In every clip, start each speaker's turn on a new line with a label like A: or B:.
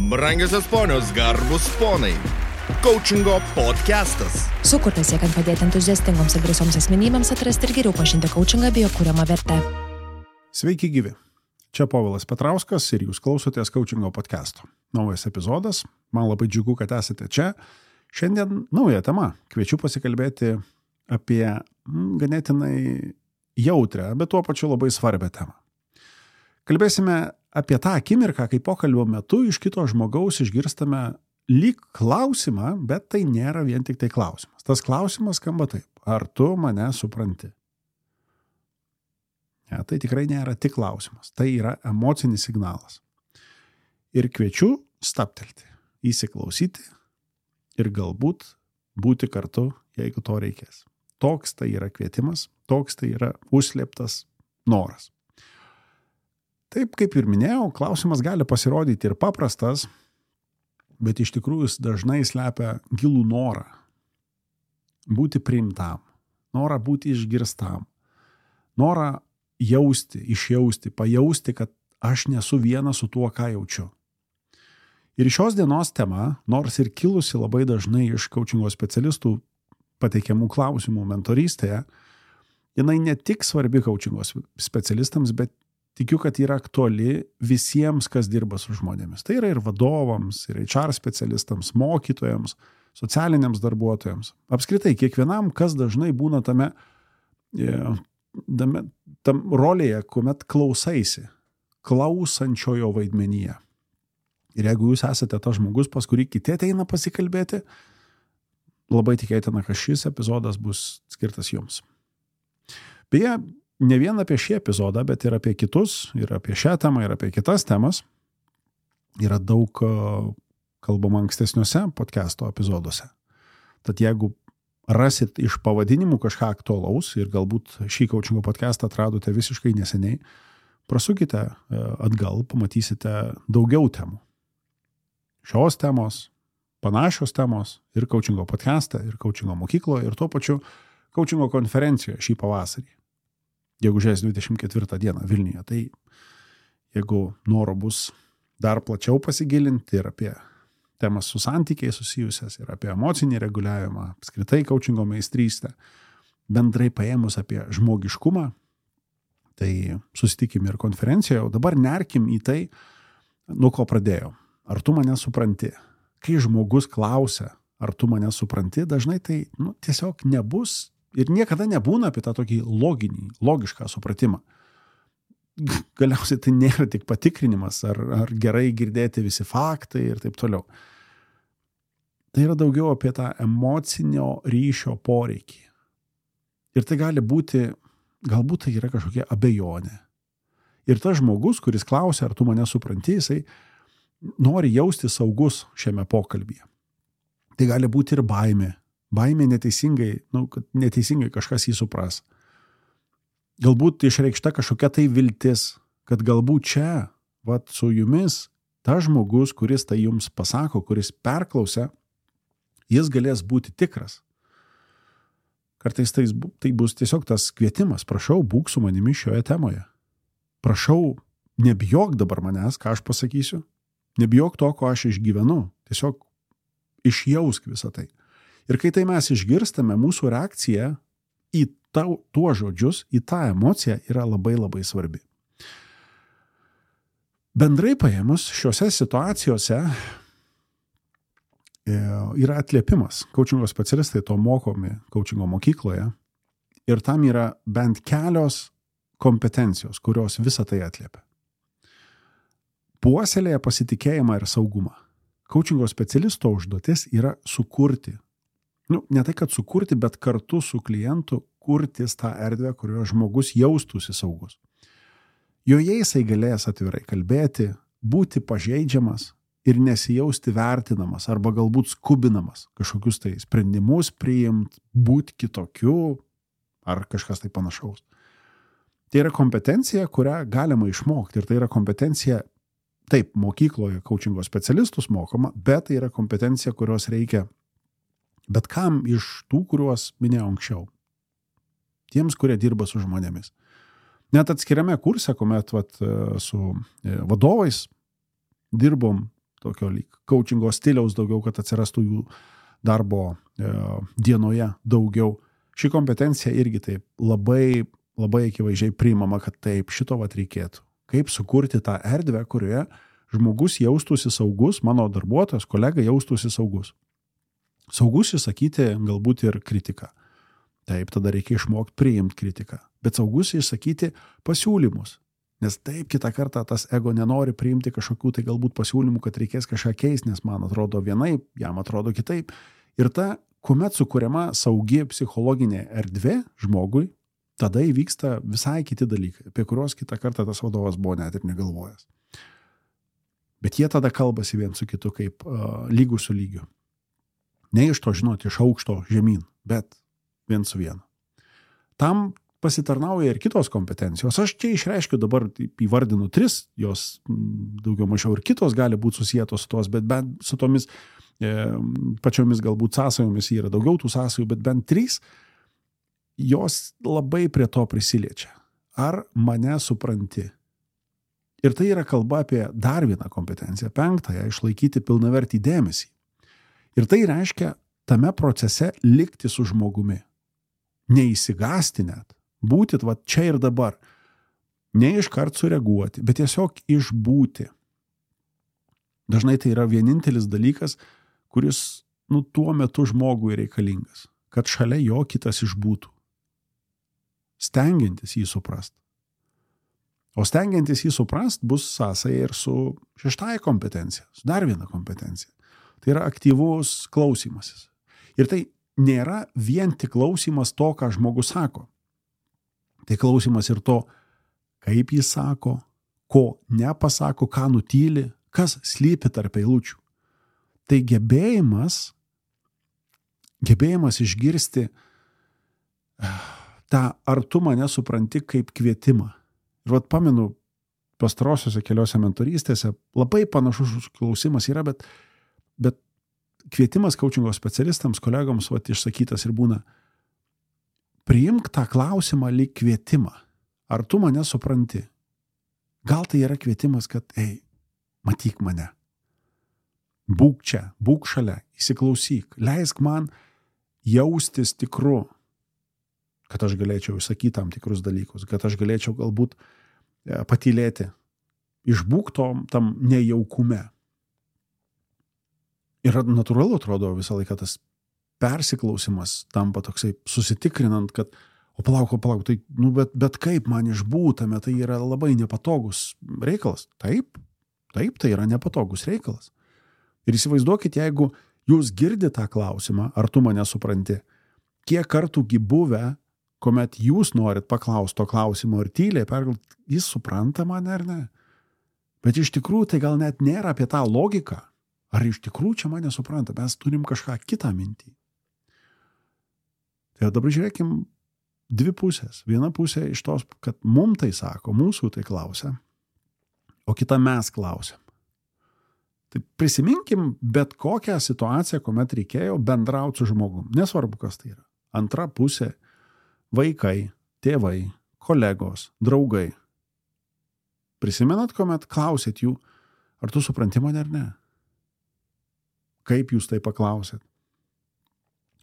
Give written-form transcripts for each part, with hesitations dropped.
A: Brangiosios ponios, garbus ponai. Coachingo podcastas.
B: Sukurtas siekiant padėti entuziastingoms ir drąsioms asmenybėms atrasti ir geriau pažinti coachingą bei jo kuriamą vertę.
C: Sveiki gyvi. Čia Povilas Petrauskas ir jūs klausotės Coachingo podcasto. Naujas epizodas. Man labai džiugu, kad esate čia. Šiandien nauja tema. Kviečiu pasikalbėti apie ganėtinai jautrią, bet tuo pačiu labai svarbią temą. Kalbėsime apie tą akimirką, kai pokalbio metu iš kito žmogaus išgirstame lyg klausimą, bet tai nėra vien tik tai klausimas. Tas klausimas skamba taip: ar tu mane supranti? Ja, tai tikrai nėra tik klausimas, tai yra emocinis signalas. Ir kviečiu stabtelti, įsiklausyti ir galbūt būti kartu, jeigu to reikės. Toks tai yra kvietimas, toks tai yra užslėptas noras. Taip, kaip ir minėjau, klausimas gali pasirodyti ir paprastas, bet iš tikrųjų jis dažnai slepia gilų norą būti priimtam, norą būti išgirstam, norą jausti, išjausti, pajausti, kad aš nesu vienas su tuo, ką jaučiu. Ir šios dienos tema, nors ir kilusi labai dažnai iš coachingo specialistų pateikiamų klausimų mentorystėje, jinai ne tik svarbi coachingo specialistams, bet tikiu, kad yra aktuali visiems, kas dirba su žmonėmis. Tai yra ir vadovams, ir HR specialistams, mokytojams, socialiniams darbuotojams. Apskritai, kiekvienam, kas dažnai būna tam rolėje, kuomet klausaisi, klausančiojo vaidmenyje. Ir jeigu jūs esate tas žmogus, pas kurį kiti ateina pasikalbėti, labai tikėtina, kad šis epizodas bus skirtas jums. Beje, ne vien apie šį epizodą, bet ir apie kitus, ir apie šią temą, ir apie kitas temas yra daug kalbama ankstesniuose podcasto epizoduose. Tad jeigu rasit iš pavadinimų kažką aktualaus ir galbūt šį coachingo podcastą atradote visiškai neseniai, prasukite atgal, pamatysite daugiau temų. Šios temos, panašios temos ir coachingo podcastą, ir coachingo mokykloje, ir tuo pačiu coachingo konferencijoje šį pavasarį. Gegužės 24 dieną Vilniuje. Tai jeigu noro bus dar plačiau pasigilinti ir apie temas su santykiai susijusias, ir apie emocinį reguliavimą, apskritai coachingo meistrystę, bendrai paėmus apie žmogiškumą, tai susitikim ir konferencijoje. O dabar nerkim į tai, nuo ko pradėjau. Ar tu mane supranti? Kai žmogus klausia, ar tu mane supranti, dažnai tai tiesiog nebus ir niekada nebūna apie tą tokį logišką supratimą. Galiausiai tai nėra tik patikrinimas, ar gerai girdėti visi faktai ir taip toliau. Tai yra daugiau apie tą emocinio ryšio poreikį. Ir tai gali būti, galbūt tai yra kažkokia abejonė. Ir tas žmogus, kuris klausia, ar tu mane supranti, jisai nori jausti saugus šiame pokalbyje. Tai gali būti ir baimė. Baimė neteisingai, kad neteisingai kažkas jį supras. Galbūt išreikšta kažkokia tai viltis, kad galbūt čia, su jumis, tas žmogus, kuris tai jums pasako, kuris perklausia, jis galės būti tikras. Kartais tai bus tiesiog tas kvietimas: prašau, būk su manimi šioje temoje. Prašau, nebijok dabar manęs, ką aš pasakysiu. Nebijok to, ko aš išgyvenu. Tiesiog išjausk visą tai. Ir kai tai mes išgirstame, mūsų reakcija į tuos žodžius, į tą emociją yra labai labai svarbi. Bendrai paėmus, šiuose situacijose yra atliepimas. Coachingo specialistai to mokomi coachingo mokykloje ir tam yra bent kelios kompetencijos, kurios visą tai atliepia. Puoselėja pasitikėjimą ir saugumą. Coachingo specialisto užduotis yra sukurti. Ne tai, kad sukurti, bet kartu su klientu kurtis tą erdvę, kurioje žmogus jaustųsi saugus. Joje jisai galės atvirai kalbėti, būti pažeidžiamas ir nesijausti vertinamas arba galbūt skubinamas kažkokius tai sprendimus priimti, būti kitokiu ar kažkas tai panašaus. Tai yra kompetencija, kurią galima išmokti, ir tai yra kompetencija, taip, mokykloje coachingo specialistus mokoma, bet tai yra kompetencija, kurios reikia bet kam iš tų, kuriuos minėjau anksčiau. Tiems, kurie dirba su žmonėmis. Net atskiriame kurse, kuomet su vadovais dirbom tokio lyg coachingo stiliaus daugiau, kad atsirastų jų darbo dienoje daugiau. Ši kompetencija irgi taip labai, labai akivaizdžiai priimama, kad taip šito vat reikėtų. Kaip sukurti tą erdvę, kurioje žmogus jaustųsi saugus, mano darbuotojas, kolega jaustųsi saugus. Saugus išsakyti galbūt ir kritiką. Taip, tada reikia išmokti priimti kritiką. Bet saugus išsakyti pasiūlymus. Nes taip kitą kartą tas ego nenori priimti kažkokių tai galbūt pasiūlymų, kad reikės kažką keisti, nes man atrodo vienaip, jam atrodo kitaip. Ir ta, kuomet sukuriama saugi psichologinė erdvė žmogui, tada įvyksta visai kiti dalykai, apie kuriuos kitą kartą tas vadovas buvo net ir negalvojęs. Bet jie tada kalbasi vien su kitu kaip lygų su lygiu. Ne iš to, žinoti, iš aukšto žemyn, bet vien su vienu. Tam pasitarnauja ir kitos kompetencijos. Aš čia išreiškiu dabar, įvardinu 3, jos daugiau mažiau ir kitos gali būti susietos su tos, bet bent su tomis pačiomis galbūt sąsajomis yra daugiau tų sąsajų, bet bent 3, jos labai prie to prisiliečia. Ar mane supranti? Ir tai yra kalba apie dar vieną kompetenciją, 5, išlaikyti pilnavertį dėmesį. Ir tai reiškia tame procese likti su žmogumi. Neįsigąsti net. Būti va čia ir dabar. Ne iškart sureaguoti, bet tiesiog išbūti. Dažnai tai yra vienintelis dalykas, kuris tuo metu žmogui reikalingas. Kad šalia jo kitas išbūtų. Stengiantis jį suprast. O stengiantis jį suprast bus sąsaja ir su 6 kompetencija. Su dar viena kompetencija. Tai yra aktyvus klausymasis. Ir tai nėra vien tik klausymas to, ką žmogus sako. Tai klausymas ir to, kaip jis sako, ko nepasako, ką nutyli, kas slypi tarp eilučių. Tai gebėjimas išgirsti tą, ar tu mane supranti kaip kvietimą. Ir vat pamenu, pastarosiuose keliose mentorystėse labai panašus klausimas yra, bet kvietimas coachingo specialistams, kolegoms išsakytas ir būna, priimk tą klausimą lyg kvietimą. Ar tu mane supranti? Gal tai yra kvietimas, kad, matyk mane. Būk čia, būk šalia, įsiklausyk, leisk man jaustis tikru, kad aš galėčiau išsakyti tam tikrus dalykus, kad aš galėčiau galbūt patylėti, išbūk tam nejaukume. Ir natūralu atrodo visą laiką tas persiklausimas tampa toksai susitikrinant, kad palauk, tai, bet kaip man išbūtame, tai yra labai nepatogus reikalas. Taip, tai yra nepatogus reikalas. Ir įsivaizduokit, jeigu jūs girdite tą klausimą, ar tu mane supranti, kiek kartų buvę, kuomet jūs norit paklausti to klausimo ir tyliai pergalvoti, jis supranta mane ar ne. Bet iš tikrųjų tai gal net nėra apie tą logiką. Ar iš tikrųjų čia mane supranta, mes turim kažką kitą mintį. Tai dabar žiūrėkim 2 pusės. Viena pusė iš tos, kad mum tai sako, mūsų tai klausia, o kita mes klausiam. Tai prisiminkim bet kokią situaciją, kuomet reikėjo bendrauti su žmogum. Nesvarbu, kas tai yra. Antra pusė – vaikai, tėvai, kolegos, draugai. Prisimenat, kuomet klausėt jų, ar tu supranti mane ar ne? Kaip jūs tai paklausėt?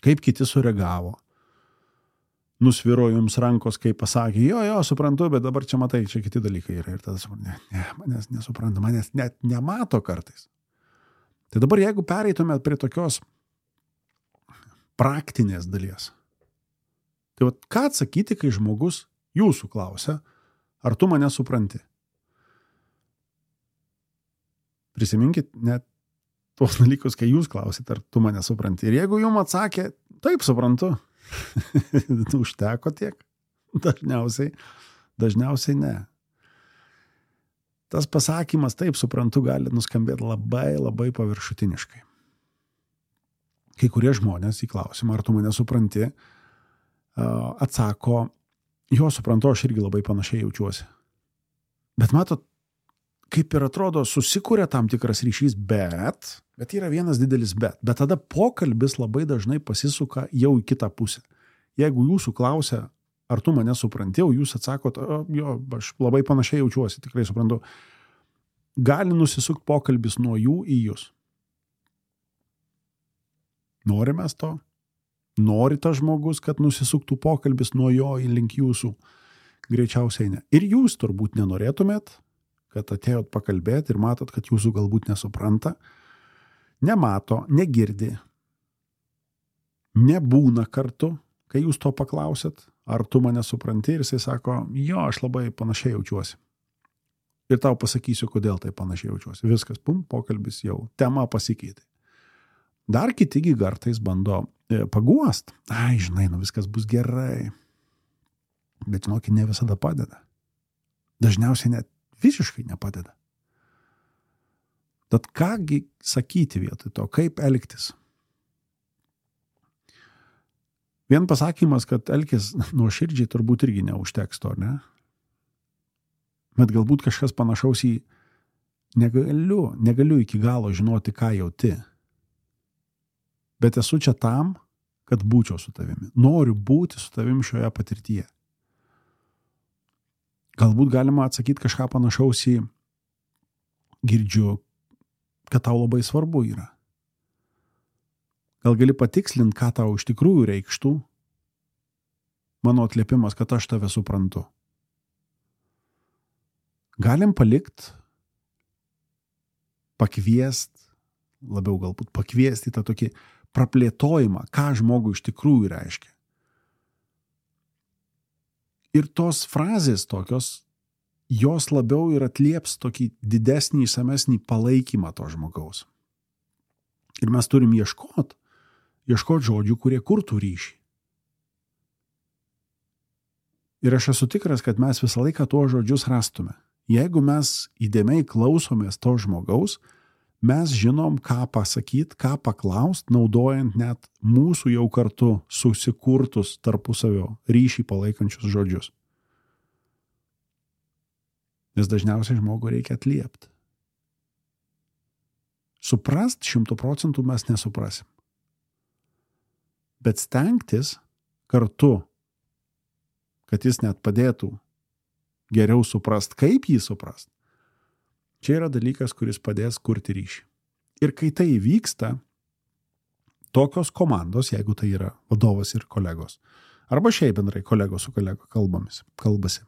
C: Kaip kiti sureagavo? Nusviro jums rankos, kaip pasakė, jo, suprantu, bet dabar čia matai, čia kiti dalykai yra. Ir tada suprantu, manęs nesupranta, manęs net nemato kartais. Tai dabar jeigu pereitumėt prie tokios praktinės dalies, tai ką atsakyti, kai žmogus jūsų klausia, ar tu mane supranti? Prisiminkit net tuos dalykus, kai jūs klausit, ar tu mane supranti. Ir jeigu jums atsakė, taip suprantu, užteko tiek. Dažniausiai ne. Tas pasakymas, taip suprantu, gali nuskambėti labai, labai paviršutiniškai. Kai kurie žmonės į klausimą, ar tu mane supranti, atsako, jo suprantu, aš irgi labai panašiai jaučiuosi. Bet matot, kaip ir atrodo, susikuria tam tikras ryšys, bet yra vienas didelis bet. Bet tada pokalbis labai dažnai pasisuka jau į kitą pusę. Jeigu jūsų klausia, ar tu mane supranti, o jūs atsakot, jo, aš labai panašiai jaučiuosi, tikrai suprantu. gali nusisukti pokalbis nuo jų į jūs. Norime to? Nori tas žmogus, kad nusisuktų pokalbis nuo jo į link jūsų? Greičiausiai ne. Ir jūs turbūt nenorėtumėt, kad atėjot pakalbėti ir matot, kad jūsų galbūt nesupranta, nemato, negirdi, nebūna kartu, kai jūs to paklausėt, ar tu mane supranti, ir jisai sako, jo, aš labai panašiai jaučiuosi. Ir tau pasakysiu, kodėl tai panašiai jaučiuosi. Viskas, pokalbis jau, tema pasikeitė. Dar kitigi kartais bando paguost. Ai, žinai, viskas bus gerai. Bet žinokit, ne visada padeda. Dažniausiai net visiškai nepadeda. Tad kągi sakyti vietoj to, kaip elgtis? Vien pasakymas, kad elkis nuoširdžiai turbūt irgi neužteks to, ne? Bet galbūt kažkas panašaus į negaliu iki galo žinoti, ką jauti. Bet esu čia tam, kad būčiau su tavimi. Noriu būti su tavimi šioje patirtyje. Galbūt galima atsakyti kažką panašaus į girdžiu, kad tau labai svarbu yra. Gal gali patikslinti, ką tau iš tikrųjų reikštų mano atliepimas, kad aš tave suprantu. Galim labiau galbūt pakviesti tą tokį praplėtojimą, ką žmogui iš tikrųjų reiškia. Ir tos frazės tokios, jos labiau ir atlieps tokį didesnį, išsamesnį palaikymą to žmogaus. Ir mes turim ieškoti žodžių, kurie kurtų ryšį. Ir aš esu tikras, kad mes visą laiką tuos žodžius rastume. Jeigu mes įdėmiai klausomės to žmogaus, mes žinom, ką pasakyti, ką paklaust, naudojant net mūsų jau kartu susikurtus tarpusavio ryšį palaikančius žodžius. Nes dažniausiai žmogų reikia atliepti. Suprast 100% mes nesuprasim. Bet stengtis kartu, kad jis net padėtų geriau suprast, kaip jį suprast, čia yra dalykas, kuris padės kurti ryšį. Ir kai tai įvyksta, tokios komandos, jeigu tai yra vadovas ir kolegos, arba šiaip bendrai kolegos su kolego kalbasi,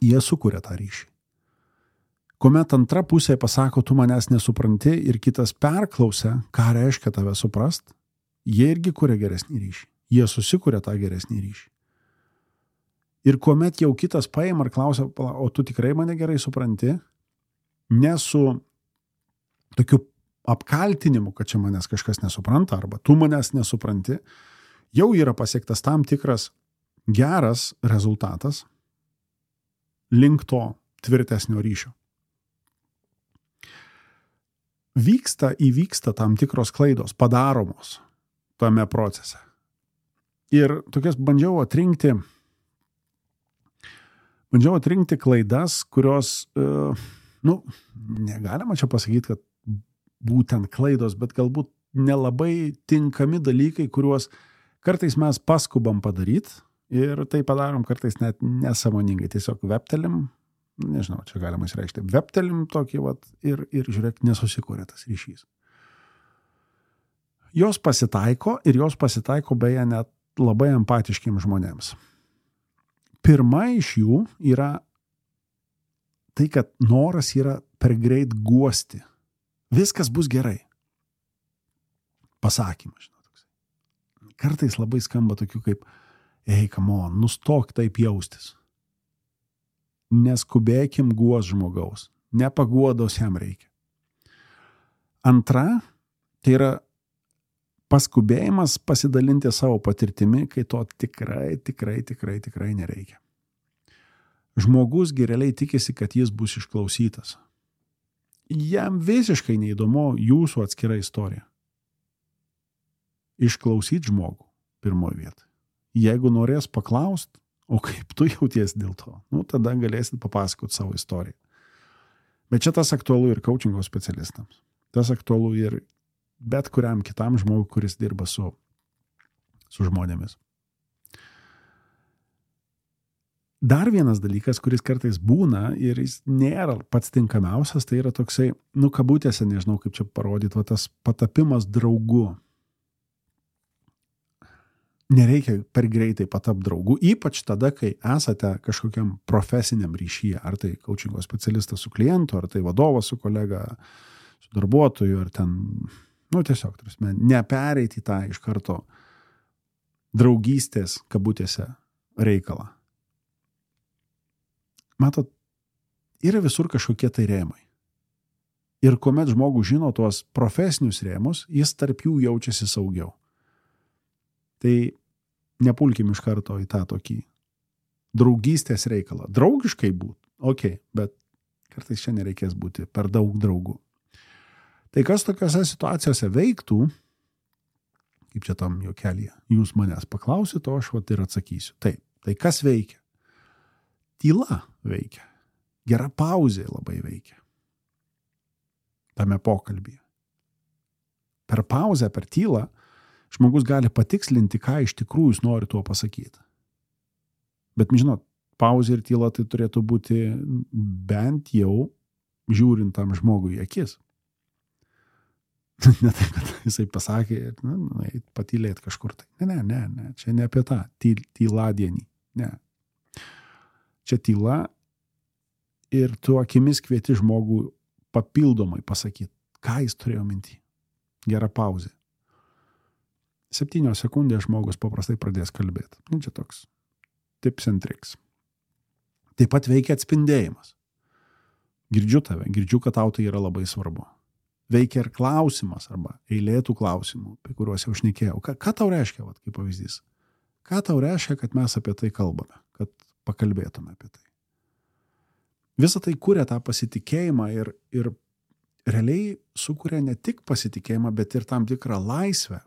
C: jie sukuria tą ryšį. Kuomet antra pusė pasako, tu manęs nesupranti, ir kitas perklausia, ką reiškia tave suprast, jie irgi kuria geresnį ryšį. Jie susikuria tą geresnį ryšį. Ir kuomet jau kitas paima ir klausia, o tu tikrai mane gerai supranti, ne su tokiu apkaltinimu, kad čia manęs kažkas nesupranta, arba tu manęs nesupranti, jau yra pasiektas tam tikras geras rezultatas link to tvirtesnio ryšio. Įvyksta tam tikros klaidos, padaromos tame procese. Ir tokias bandžiau atrinkti klaidas, kurios, negalima čia pasakyti, kad būtent klaidos, bet galbūt nelabai tinkami dalykai, kuriuos kartais mes paskubam padaryti ir tai padarom kartais net nesąmoningai. Tiesiog veptelim, nežinau, čia galima išreikšti, veptelim tokį ir žiūrėk, nesusikūrė tas ryšys. Jos pasitaiko beje net labai empatiškiams žmonėms. Pirma iš jų yra tai, kad noras yra per greit guosti. Viskas bus gerai. Pasakymas, žinot. Kartais labai skamba tokių kaip, come on, nustok taip jaustis. Neskubėkim guos žmogaus. Nepaguodos jam reikia. Antra, tai yra paskubėjimas pasidalinti savo patirtimi, kai to tikrai nereikia. Žmogus realiai tikisi, kad jis bus išklausytas. Jam visiškai neįdomu jūsų atskira istorija. Išklausyti žmogų pirmoje vietoje. Jeigu norės paklaust, o kaip tu jauties dėl to, tada galėsit papasakoti savo istoriją. Bet čia tas aktualu ir coachingo specialistams. Tas aktualu ir bet kuriam kitam žmogui, kuris dirba su žmonėmis. Dar vienas dalykas, kuris kartais būna ir jis nėra pats tinkamiausias, tai yra toksai, kabutėse, nežinau kaip čia parodyti, va tas patapimas draugu. Nereikia per greitai patapti draugu, ypač tada, kai esate kažkokiam profesiniam ryšyje, ar tai coachingo specialistas su klientu, ar tai vadovas su kolega, su darbuotoju, ar ten, tiesiog, nepereiti tą iš karto draugystės, kabutėse, reikalą. Matot, yra visur kažkokie tai rėmai. Ir kuomet žmogus žino tuos profesinius rėmus, jis tarp jų jaučiasi saugiau. Tai nepulkim iš karto į tą tokį draugystės reikalą. Draugiškai būt, bet kartais čia nereikės būti per daug draugų. Tai kas tokiose situacijose veiktų, kaip čia tam juokelyje, jūs manęs paklausit, o aš ir atsakysiu. Taip, tai kas veikia? Tyla veikia. Gera pauzė labai veikia. Tame pokalbyje. Per pauzę, per tylą, žmogus gali patikslinti, ką iš tikrųjų jis nori tuo pasakyti. Bet, žinot, pauzė ir tyla tai turėtų būti bent jau žiūrint tam žmogui į akis. Ne taip, kad jisai pasakė ir patylėti kažkur tai. Ne, čia ne apie tą tyladienį. Ne. Čia tyla ir tu akimis kvieti žmogų papildomai pasakyti, ką jis turėjo minty. Gera pauzė. 7 sekundės žmogus paprastai pradės kalbėti. Čia toks tips and tricks. Taip pat veikia atspindėjimas. Girdžiu tave, girdžiu, kad tau tai yra labai svarbu. Veikia ir klausimas arba eilėtų klausimų, apie kuriuos jau šnekėjau. Ką tau reiškia, kaip pavyzdys? Ką tau reiškia, kad mes apie tai kalbame, kad pakalbėtume apie tai? Visą tai kuria tą pasitikėjimą ir realiai sukuria ne tik pasitikėjimą, bet ir tam tikrą laisvę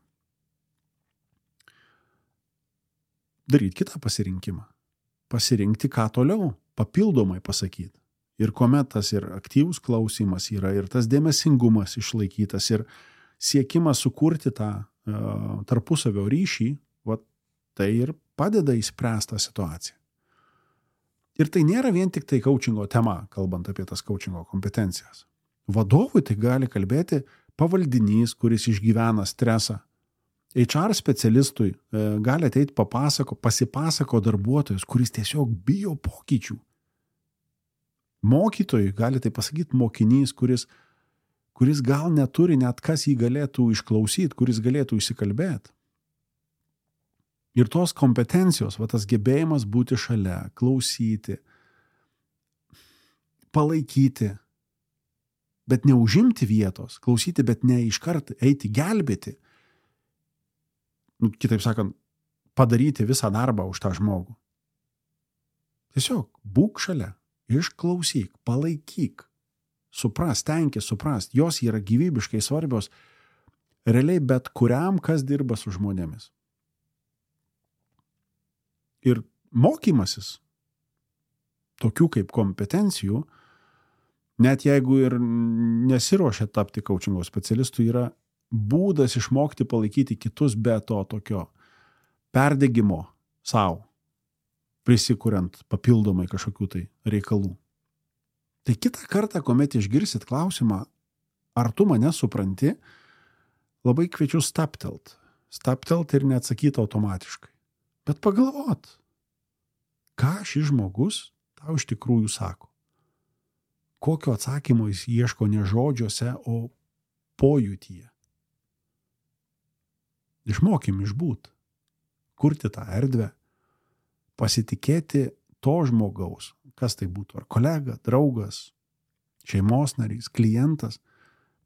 C: daryti kitą pasirinkimą. Pasirinkti, ką toliau, papildomai pasakyti. Ir kuomet tas ir aktyvus klausimas yra, ir tas dėmesingumas išlaikytas, ir siekimas sukurti tą tarpusavio ryšį, tai ir padeda įspręsti tą situaciją. Ir tai nėra vien tik tai coachingo tema, kalbant apie tas coachingo kompetencijas. Vadovui tai gali kalbėti pavaldinys, kuris išgyvena stresą. HR specialistui gali ateiti pasipasako darbuotojas, kuris tiesiog bijo pokyčių. Mokytojui gali tai pasakyti mokinys, kuris gal neturi net kas jį galėtų išklausyti, kuris galėtų įsikalbėti. Ir tos kompetencijos, tas gebėjimas būti šalia, klausyti, palaikyti, bet neužimti vietos, klausyti, bet ne iškart eiti gelbėti. Kitaip sakant, padaryti visą darbą už tą žmogų. Tiesiog būk šalia, išklausyk, palaikyk, stenkis suprast, jos yra gyvybiškai svarbios realiai bet kuriam, kas dirba su žmonėmis. Ir mokymasis tokių kaip kompetencijų, net jeigu ir nesiruošia tapti coachingo specialistu, yra būdas išmokti palaikyti kitus be to tokio perdegimo savo, prisikuriant papildomai kažkokių tai reikalų. Tai kitą kartą, kuomet išgirsit klausimą, ar tu mane supranti, labai kviečiu staptelt ir neatsakyti automatiškai. Bet pagalvot, ką šis žmogus tau iš tikrųjų sako. Kokio atsakymo jis ieško ne žodžiuose, o pojūtyje. Išmokim išbūt, kurti tą erdvę, pasitikėti to žmogaus, kas tai būtų, ar kolega, draugas, šeimos narys, klientas,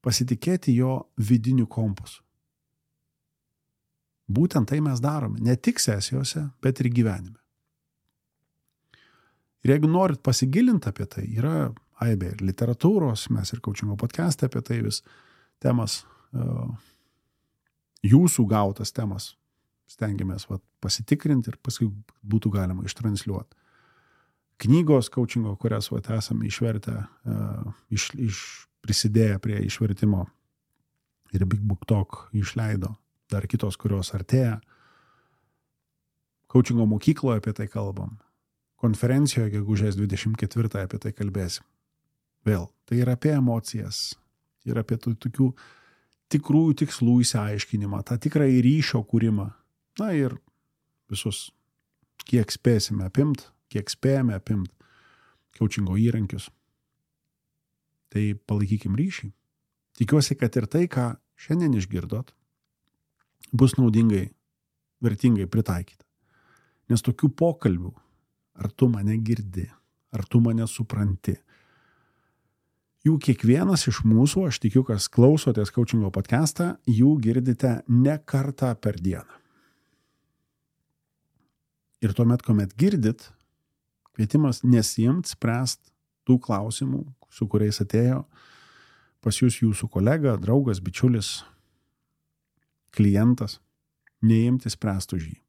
C: pasitikėti jo vidiniu kompasu. Būtent tai mes darome, ne tik sesijose, bet ir gyvenime. Ir jeigu norit pasigilinti apie tai, yra aibė ir literatūros, mes ir coachingo podcast'e apie tai vis temas, jūsų gautas temas stengiamės pasitikrinti ir paskui būtų galima ištransliuoti. Knygos coachingo, kurias esame išvertę, prisidėję prie išvertimo ir Big Book Talk išleido. Dar kitos, kurios artėja. Coachingo mokykloje apie tai kalbam. konferencijoje gegužės 24 apie tai kalbėsim. Vėl, tai yra apie emocijas, yra apie tokių tikrųjų tikslų įsiaiškinimą, tą tikrą ryšio kūrimą. Na ir visus, kiek spėjame apimt coachingo įrankius. Tai palaikykim ryšį. Tikiuosi, kad ir tai, ką šiandien išgirdot, bus naudingai, vertingai pritaikyta. Nes tokių pokalbių, ar tu mane girdi, ar tu mane supranti, jų kiekvienas iš mūsų, aš tikiu, kas klausotės coachingo podcastą, jų girdite ne kartą per dieną. Ir tuomet, kuomet girdit, kvietimas nesiimt spręst tų klausimų, su kuriais atėjo pas jūs jūsų kolega, draugas, bičiulis, klientas, neimti spręst už jį.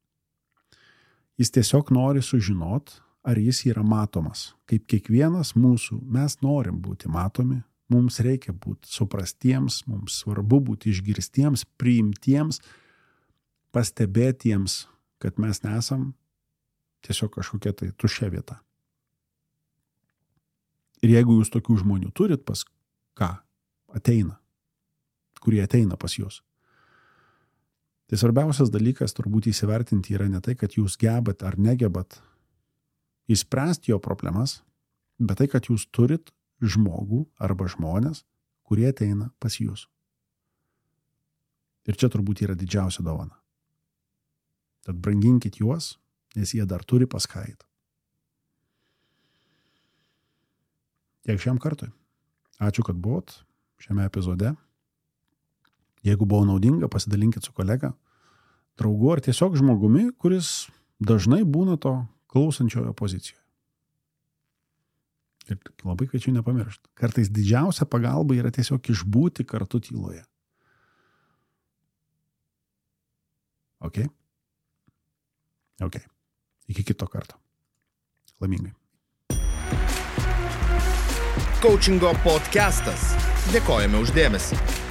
C: Jis tiesiog nori sužinot, ar jis yra matomas. Kaip kiekvienas mūsų, mes norim būti matomi, mums reikia būti suprastiems, mums svarbu būti išgirstiems, priimtiems, pastebėtiems, kad mes nesam tiesiog kažkokia tai tuščia vieta. Ir jeigu jūs tokių žmonių turit, pas ką ateina, kurie ateina pas jūs, tai svarbiausias dalykas turbūt įsivertinti yra ne tai, kad jūs gebat ar negebat įspręsti jo problemas, bet tai, kad jūs turit žmogų arba žmonės, kurie ateina pas jūs. Ir čia turbūt yra didžiausia dovana. Tad branginkit juos, nes jie dar turi pas ką eit. Tiek šiam kartui. Ačiū, kad buvot šiame epizode. Jeigu buvo naudinga, pasidalinkit su kolega, draugu ar tiesiog žmogumi, kuris dažnai būna to klausančiojo pozicijoje. Ir labai kviečiu nepamiršti. Kartais didžiausia pagalba yra tiesiog išbūti kartu tyloje. Ok? Ok. Iki kito karto. Laimingai.
A: Coachingo podcastas. Dėkojame už dėmesį.